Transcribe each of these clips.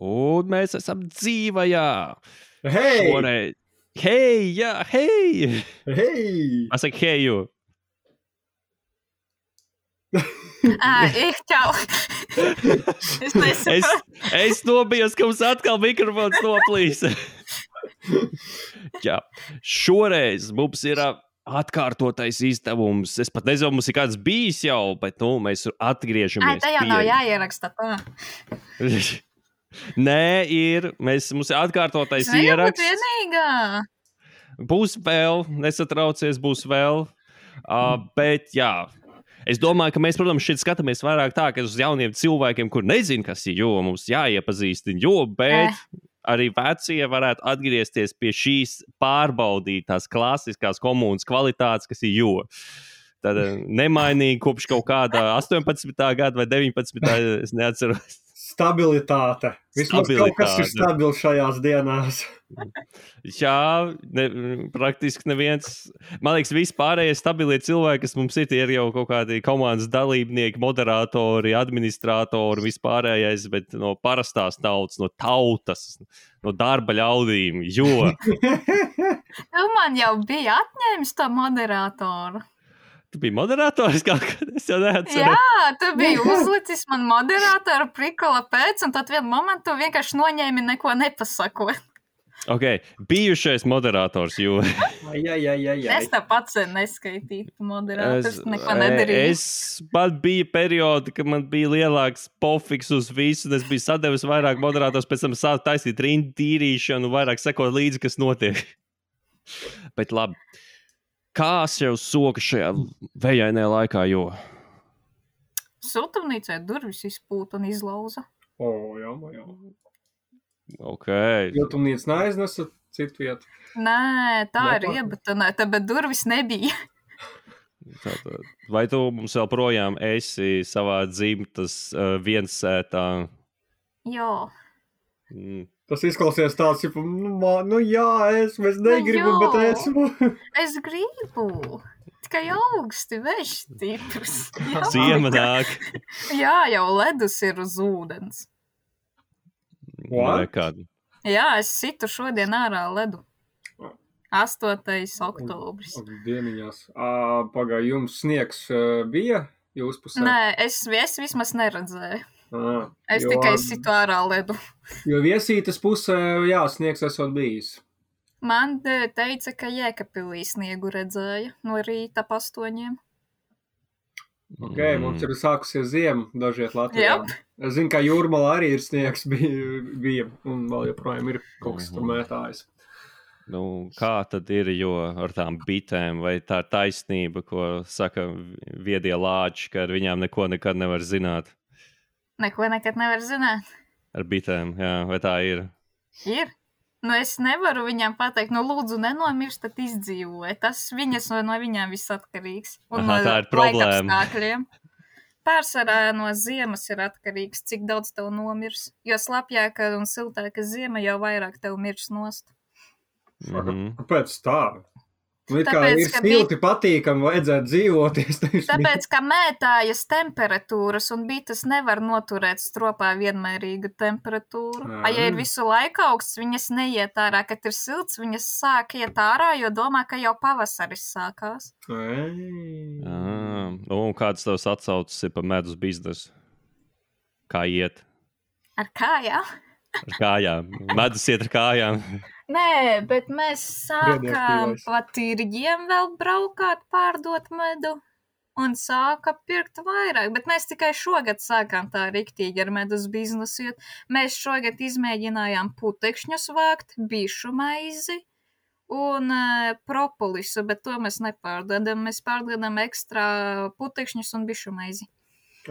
Un mēs esam dzīvajā. Hei! Šoreiz. Hei, jā, hei! Hei! Pasaka heju. Čau. Es nesaprotu. Es nobijos, ka mums atkal mikrofons noplīs. Jā, šoreiz mums ir atkārtotais izdevums. Es pat nezinu, mums ir kāds bijis jau, bet mēs atgriežamies. Tā jau nav jāieraksta tā. Nē, mums ir atkārtotais Es nevaru būt ieraksts. vienīgā. Būs vēl, nesatraucies, būs vēl. Bet jā, es domāju, ka mēs, protams, šeit skatāmies vairāk tā, ka uz jauniem cilvēkiem, kur nezin, kas ir jo, mums jāiepazīstina, bet arī vecie varētu atgriezties pie šīs pārbaudītās klasiskās komunas kvalitātes, kas ir jo. Tad nemainīgi kopš kaut kāda 18. gada vai 19. es neatceros. Stabilitāte. Vismaz kaut kas ir stabils šajās dienās. Jā, praktiski neviens. Man liekas, vispārējie stabilie cilvēki, kas mums ir jau kaut kādi komandas dalībnieki, moderatori, administratori, vispārējais, bet no parastās tautas, no tautas, no darba ļaudīm, jo. Tu man jau bija atņēmis to moderatoru. Tu biji moderators kaut kad, es jau neatceros. Jā, tu biji uzlicis man moderatoru prikola pēc, un tad vienu momentu vienkārši noņēmi neko nepasakot. Ok, bijušais moderators, jo. Jā. Es tā pats neskaitītu moderators, neko nedarīju. Man bija periodi, kad man bija lielāks pofiks uz visu, un es biju sadevis vairāk moderators, pēc tam sāku taisīt rindu tīrīšanu, vairāk sekot līdzi, kas notiek. Bet labi. Kā sev soka šajā vējainajā laikā, jo? Siltumnīcē durvis izpūta un izlauza. Jā. Ok. Siltumnīca neaiznesa citu vietu. Nē, tā ir iebetonēta, bet durvis nebija. Tātad, vai tu mums vēl projām esi savā dzimtas viensētā? Jā. Tas izklausies tāds, es negribu, bet esmu. Es gribu. Tikai augsti, vējš stiprs. Ziema nāk. Jā, jau ledus ir uz ūdens. Jā, es situ šodien ārā ledu. 8. oktobris. Dieniņās. Pagāj, jums sniegs bija jūs pusē? Nē, es vismaz neredzēju. Es tikai situ ārā ledu. Jo Viesītes pusē, sniegs esot bijis. Man teica, ka Jēkabpilī sniegu redzēja no rīta 8. Ok, mums ir sākusies ziema dažiet Latvijā. Yep. Es zinu, ka Jūrmalā arī ir sniegs bija un vēl joprojām ir kaut kas tur mētājs. Kā tad ir, jo ar tām bitēm, vai tā ir taisnība, ko saka viedie lāči, ka ar viņām neko nekad nevar zināt? Neko nekad nevar zināt. Ar bitēm, jā, vai tā ir? Ir. Es nevaru viņām pateikt, lūdzu, nenomirst, tad izdzīvoja. Tas no viņām viss atkarīgs. Un tā ir problēma. Laikapstākļiem. Pārsvarā no ziemas ir atkarīgs, cik daudz tev nomirs. Jo slapjāka un siltāka ziema, jau vairāk tev mirs nost. Kāpēc tā? Ir silti patīkami, vajadzētu dzīvoties. Tāpēc, ka mētājas temperatūras un bites nevar noturēt stropā vienmērīgu temperatūru. Ja ir visu laiku augsts, viņas neiet ārā, kad ir silts, viņas sāk iet ārā, jo domā, ka jau pavasaris sākās. Un kāds tavs atsaucis ir pa medus biznesu? Kā iet? Ar kājām? Ar kājām. Medus iet ar kājām. Nē, bet mēs sākām pa tirģiem vēl braukāt, pārdot medu un sāka pirkt vairāk. Bet mēs tikai šogad sākām tā riktīgi ar medus biznesu. Mēs šogad izmēģinājām putekšņus vākt, bišu maizi un propolisu, bet to mēs nepārdodam. Mēs pārdodam ekstra putekšņus un bišu maizi.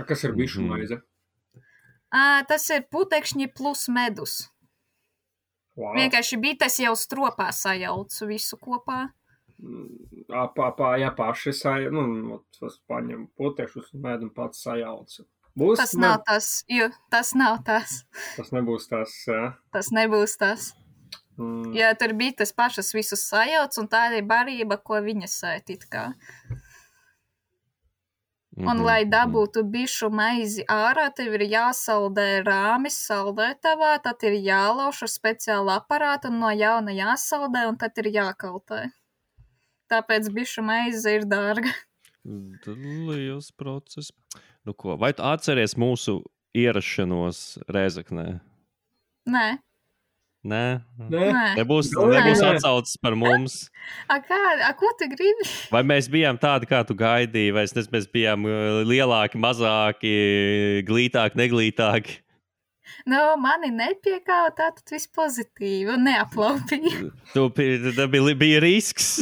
Kas ir bišu maize? Tas ir putekšņi plus medus. Wow. Vienkārši bites jau stropā sajaucu visu kopā. Paši paņem putekšus un mēdam pats sajaucu. Tas nav tas, jo tas nav tas. Tas nebūs tas, jā? Tas nebūs tas. Jo tur bites pašas visus sajauc un tā ir barība, ko viņas sēt it kā. Un, lai dabūtu bišu maizi ārā, tev ir jāsaldē rāmis saldētavā, tad ir jālauž ar speciālu aparātu un no jauna jāsaldē, un tad ir jākaltē. Tāpēc bišu maize ir dārga. Liels process. Nu ko, vai tu atceries mūsu ierašanos Rēzeknē? Nē. Nē. Nebūs atsaucis par mums. Ko tu gribi? Vai mēs bijām tādi, kā tu gaidīji, vai mēs bijām lielāki, mazāki, glītāki, neglītāki? Mani nepiekāva, tātad viss pozitīvi un neaplaupīja. Bija risks.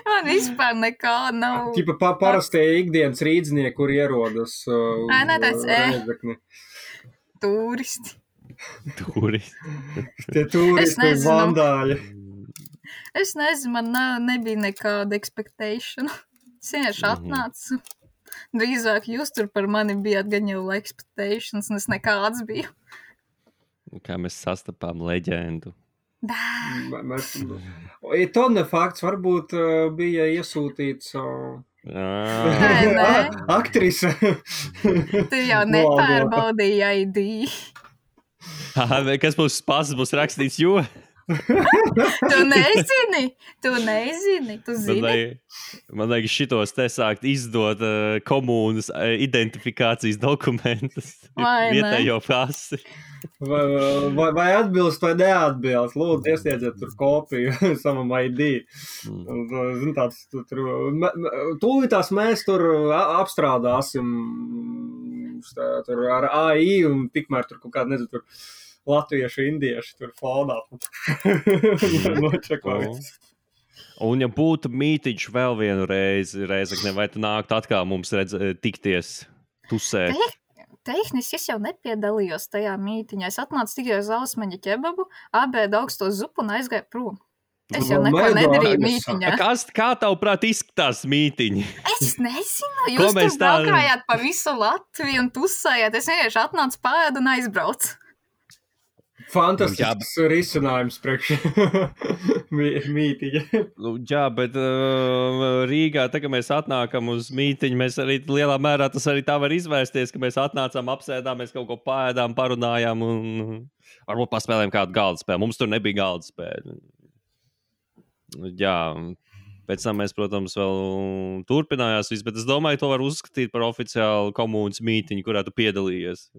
Man vispār nekā nav. Tipa parastie ikdienas rīdznieki, kur ierodas Rēzekni. Turisti. Tie turisti vandāļi. Es nezinu, man nebija nekāda expectation. Es vienkārši atnācu. Drīzāk jūs tur par mani bijāt gan jau expectations, un es nekāds biju. Kā mēs sastapām leģendu. Tone fakts varbūt bija iesūtīts aktrise. Tu jau nepārbaudīji ID. Kas būs spāsts, būs rakstīts, jo? Tu nezini, tu zini. Man liekas, šitos te sākt izdot komūnas identifikācijas dokumentus. Vietējo pasi. Vai atbilst vai neatbilst? Lūdzu, iesniedziet tur kopiju savam ID. Tūlītās mēs tur apstrādāsim tur ar AI un tikmēr tur kaut kāda, nezinu, tur latviešu, indieši tur fonā. Un ja būtu mītiņš vēl vienu reizi, Rēzekne, vai tu nāktu atkal mums tikties, tusēt? Tehniski es jau nepiedalījos tajā mītiņā. Es atnācu tikai uz Ausmaņa ķebabu, abēdu augsto zupu un aizgāju prom. Es jau neko nedarīju mītiņā. Kā tavuprāt izskatās mītiņi? Es nezinu, jūs tur braukājāt pa visu Latviju un tusējāt. Es vienkārši atnācu pāēdu un aizbraucu. Fantastisks risinājums priekš mītiņa. Jā, bet Rīgā, tā, ka mēs atnākam uz mītiņu, mēs arī lielā mērā tas arī tā var izvērsties, ka mēs atnācām, apsēdām, mēs kaut ko pāēdām, parunājām un varbūt paspēlējām kādu galda spēli. Mums tur nebija galda spēle. Jā, pēc tam mēs, protams, vēl turpinājās viss, bet es domāju, to var uzskatīt par oficiālu komunas mītiņu, kurā tu piedalījies.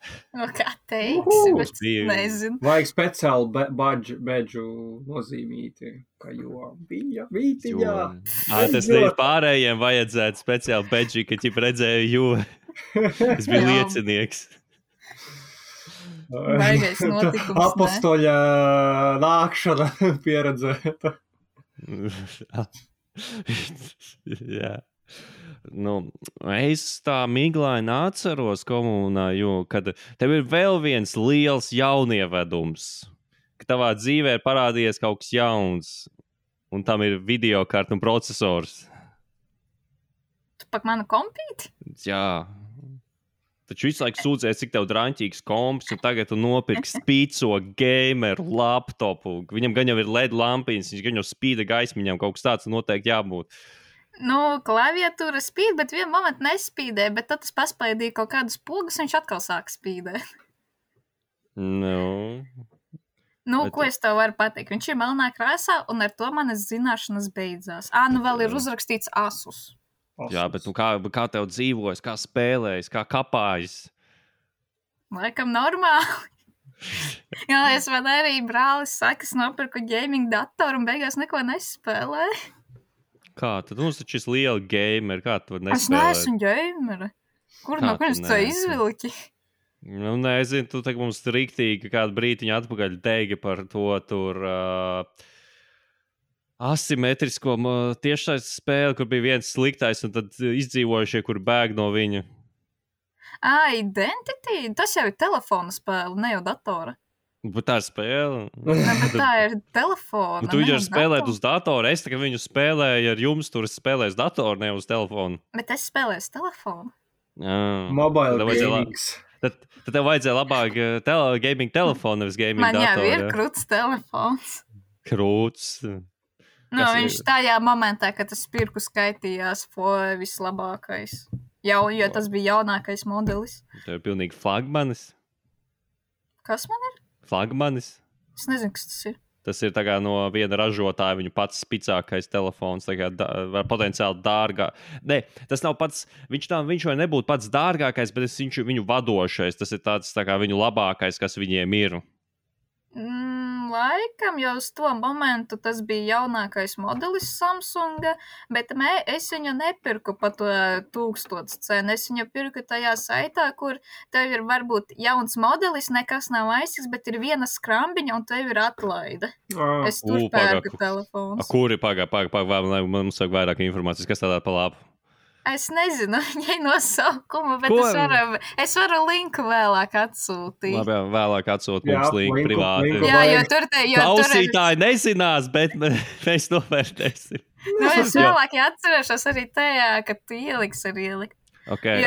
Kā teiksi, bet nezinu. Vajag speciālu bedžu nozīmīti, ka jo bija mītiņā. Tas ir pārējiem vajadzētu speciālu bedži, ka ķip redzēju, jo es biju liecinieks. Baigais notikums, Apostoļa nākšana pieredzēta. Jā. Es tā miglaini atceros komunā, jo, kad tev ir vēl viens liels jaunievedums, ka tavā dzīvē ir parādījies kaut kas jauns, un tam ir videokarta un procesors. Tu pak manu kompīti? Jā. Taču visu laiku sūdzēs, cik tev draņķīgs komps, un tagad tu nopirksi spīco gameru laptopu. Viņam gan jau ir LED lampiņas, viņš gan jau spīda gaismiņām, kaut kas tāds noteikti jābūt. Klaviatūra spīd, bet vienu momentu nespīdē, bet tad tas paspaidīja kaut kādus pogus, viņš atkal sāk spīdēt. Ko es tev varu pateikt? Viņš ir melnā krāsā, un ar to manas zināšanas beidzās. Vēl ir uzrakstīts Asus. Jā, bet kā tev dzīvojas, kā spēlējas, kā kapājas? Laikam normāli. Jā, es man arī brālis saka, es nopirku gaming datoru un beigās neko nespēlēju. Kā? Tad mums taču ir liela gameri, kā tu var nespēlēt? Es neesmu gameri. Kur no kurš to izvilki? Nezinu, tu tagad mums riktīgi kādu brītiņu atpakaļ teigi par to tur asimetrisko tiešsaistes spēli, kur bija viens sliktais un tad izdzīvojušie, kur bēg no viņa. Identity? Tas jau ir telefona spēle, ne jau datora. Bet tā ir spēle. Bet tā ir telefona. Tu viņu spēlēt uz datoru. Es tagad viņu spēlēju ar jums, tur es spēlēju uz datoru, ne uz telefonu. Bet es spēlēju uz telefonu. Mobile gamings. Tad tev vajadzēja labāk gaming telefonu, nevis gaming datoru. Man jau ir krūts telefons. Krūts. Nu, viņš tajā momentā, kad tas pirku skaitījās, vislabākais. Jo tas bija jaunākais modelis. Tev ir pilnīgi flagmanis. Kas man ir? Flagmanis. Es nezinu, kas tas ir. Tas ir tā kā no viena ražotāja, viņu pats spicākais telefons, tā kā var potenciāli dārgā. Nē, tas nav pats, viņš vai nebūtu pats dārgākais, bet viņš viņu vadošais. Tas ir tāds tā kā viņu labākais, kas viņiem ir. Laikam jau uz to momentu tas bija jaunākais modelis Samsunga, bet es viņu nepirku pa to 1000 cenu. Es viņu pirku tajā saitā, kur tev ir varbūt jauns modelis, nekas nav aizsīgs, bet ir viena skrambiņa un tev ir atlaide. Es tur pērku telefons. Kuri pagā, mums vajag vairāk informācijas, kas tādā pa labu? Es nezinu viņai nosaukumu, bet es varu linku vēlāk atsūtīt. Labi, vēlāk atsūt mums linku privāti. Jā, jo tur klausītāji nezinās, bet mēs novērtēsim. Es vēlāk atcerēšos arī tajā, ka tu ieliks ar ielikt. Okay.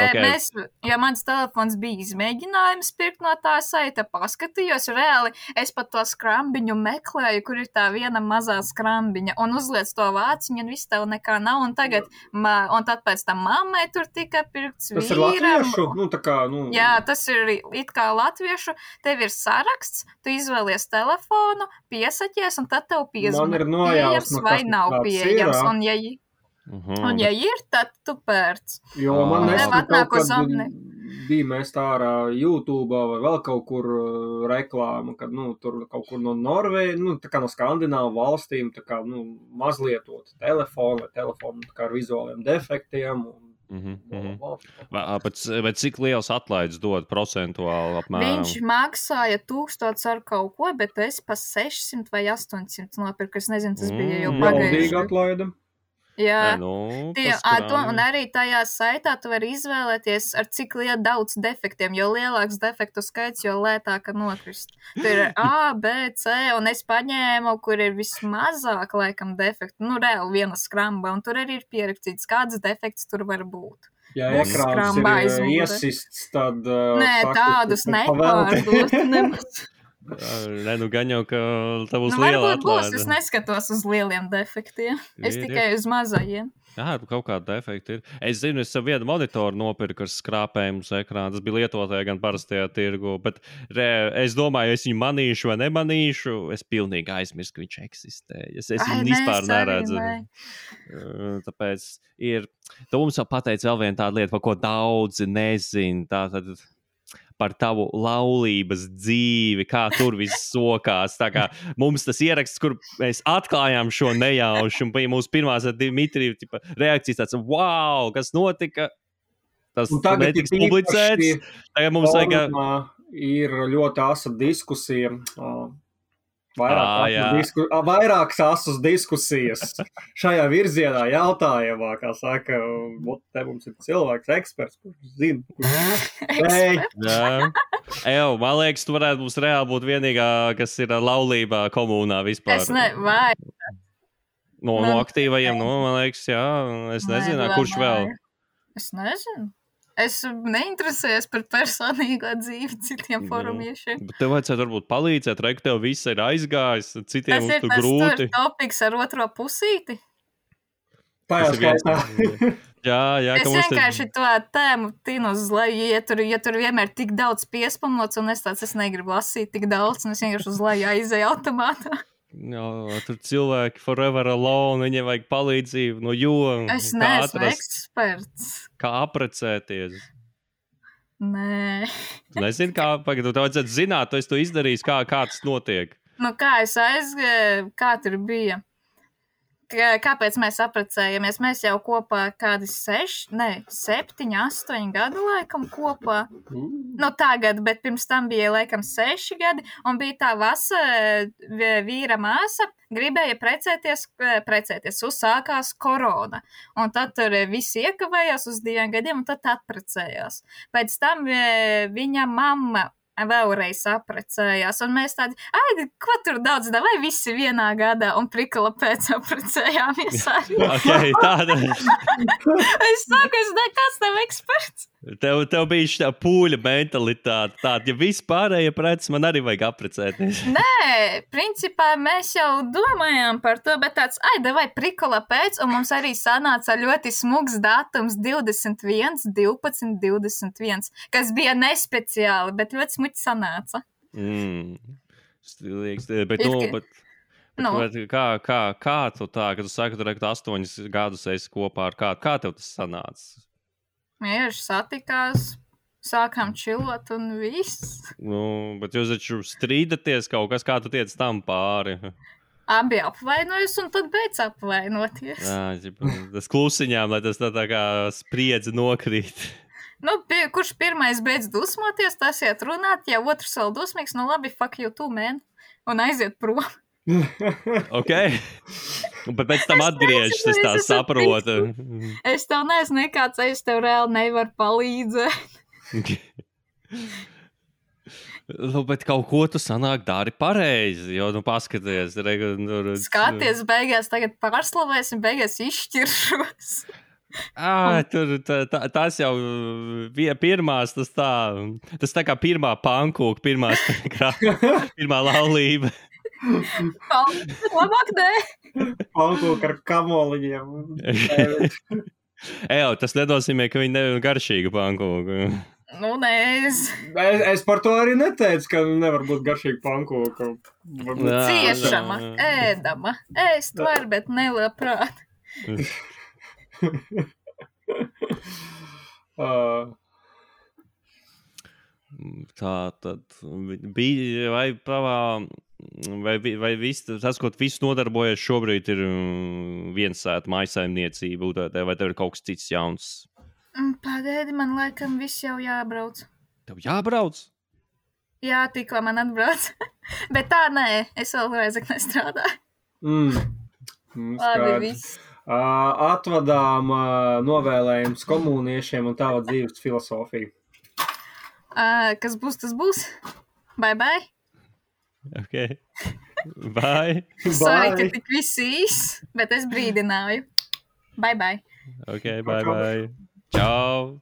Jo mans telefons bija izmēģinājums pirkt no tā saita, paskatījos reāli, es pat to skrambiņu meklēju, kur ir tā viena mazā skrambiņa, un uzliec to vāciņu, un viss tev nekā nav, un tagad, un tad pēc tam mammai tur tika pirkts vīram. Tas ir latviešu? Jā, tas ir it kā latviešu, tev ir saraksts, tu izvēlies telefonu, piesaķies, un tad tev piezvana pieejams vai nav pieejams, un ja ir, tad tu pērc. Jo man bija mēs tā ārā YouTube vai vēl kaut kur reklāma, kad, tur kaut kur no Norvēģi, tā kā no Skandināvu valstīm, tā kā, mazlietot telefonu tā kā ar vizuāliem defektiem. Bet cik liels atlaides dod procentuāli apmēram? Viņš maksāja 1000 ar kaut ko, bet es pa 600 vai 800 nopirku, es nezinu, tas bija jau pagājuši. Maldīga atlaida. Jā, un arī tajā saitā tu vari izvēlēties, ar cik daudz defektiem, jo lielāks defektu skaits, jo lētāk nokrist. Tur ir A, B, C, un es paņēmu, kur ir vismazāk, laikam, defektu, reāli viena skramba, un tur arī ir pierakstīts, kāds defekts tur var būt. Ja ekrāns ir iesists, tad... Nē, tādus nepārdot nemaz. Gan jau, ka tā būs liela atlaide. Varbūt būs, es neskatos uz lieliem defektiem. Es tikai uz mazajiem. Jā, kaut kāda defekta ir. Es zinu, es savu vienu monitoru nopirku ar skrāpējumu uz ekrāna. Tas bija lietotāja gan parastajā tirgu. Bet es domāju, es viņu manīšu vai nemanīšu. Es pilnīgi aizmirstu, ka viņš eksistē. Es viņu vispār neredzu. Tāpēc ir... Tu mums jau pateici vēl vienu tādu lietu, par ko daudzi nezin. Tātad... par tavu laulības dzīvi, kā tur viss sokās. Tā kā mums tas ieraksts, kur mēs atklājām šo nejaušu, un bija mūsu pirmās ar Dimitriju reakcijas tāds, wow, kas notika? Tas netiks publicēts. Tagad mums ir ļoti asa diskusija. Vairākas asas diskusijas šajā virzienā jautājumā, kā saka, te mums ir cilvēks eksperts, kurš zina. Man liekas, tu varētu mums reāli būt vienīgā, kas ir laulībā komunā vispār. Es vai? No aktīvajiem, man liekas, jā, es nezinu, kurš vēl. Es nezinu. Es neinteresējos par personīgo dzīvi citiem forumiešiem. Bet tev vajadzētu varbūt palīdzēt, ka tev viss ir aizgājis, citiem mums tur grūti. Tas ir topiks ar otro pusīti? Tā jau skaitā. Jā, es vienkārši to tēmu tinu uz leju, ja tur vienmēr tik daudz piespamots, un es negribu lasīt tik daudz, un es vienkārši uz leju aizēju automātā. Jā, tur cilvēki forever alone, viņiem vajag palīdzību, es neesmu eksperts. Kā aprecēties? Nē. Tu nezini, kā, tev vajadzētu zināt, tu esi to izdarījis, kā tas notiek. Kā es aizgāju, kā tur bija? Kāpēc mēs aprecējamies? Mēs jau kopā kādi 7, 8 gadu laikam kopā. Tagad, bet pirms tam bija laikam 6 gadi, un bija tā vīra māsa, gribēja precēties, uzsākās korona. Un tad tur visi iekavējās uz 2 gadiem, un tad atprecējās. Pēc tam viņa mamma vēlreiz aprecējās, un mēs tādi, ko tur daudz, vai visi vienā gadā, un prikala pēc aprecējāmies arī. Okay, tāda. Es saku, es nekas tev eksperts. Tev bija šī pūļa mentalitāte. Tāda, ja viss pārējie preces, man arī vajag apprecēties. Nē, principā mēs jau domājām par to, bet tāds, vai prikola pēc, un mums arī sanāca ļoti smugs datums 21, 12, 21, kas bija nespeciāli, bet ļoti smuki sanāca. Stilīgs, bet kā tu tā, kad tu saki, tu 8 gadus esi kopā ar kādu, kā tev tas sanāca? Mieži satikās, sākām čilot un viss. Bet jūs taču strīdaties kaut kas, kā tu tiec tam pāri. Abi apvainojas un tad beidz apvainoties. Tas klusiņām, lai tas tā kā spriedzi nokrīt. Kurš pirmais beidz dusmoties, tas iet runāt, ja otrs vēl dusmīgs, labi, fuck you too, man, un aiziet prom. Ok, bet pēc tam atgriežas, es tā saprotu. Es tev neesmu nekāds, es tev reāli nevaru palīdzēt. Bet kaut ko tu sanāk dari pareizi, jo, paskaties. Skaties, beigās tagad pārslavēsim, beigās izšķiršos. Tas jau pirmās, tas tā kā pirmā pankūka, pirmā laulība. Labāk nē. Pankūka ar kamoliņiem. Tas nenozīmē, ka viņi nav garšīga pankūka. Nē, es par to arī neteicu, ka nevar būt garšīga pankūka. Ciešama, ēdama. Ēst var, bet nelabprāt. Tā tad bija, vai viss, tas, ko viss nodarbojas šobrīd, ir viensēta mājsaimniecība, vai tev ir kaut kas cits jauns? Pagaidi, man laikam viss jau jābrauc. Tev jābrauc? Jā, tikko man atbrauc. Bet tā nē, es vēl Rēzeknē strādāju. Labi, viss. Atvadām novēlējums komuniešiem un tava dzīves filosofiju. Kas būs, tas būs. Bye, bye. Ok. Bye. Sorry, ka tik viss īs, bet es brīdināju. Bye, bye. Ok, bye, bye. Čau.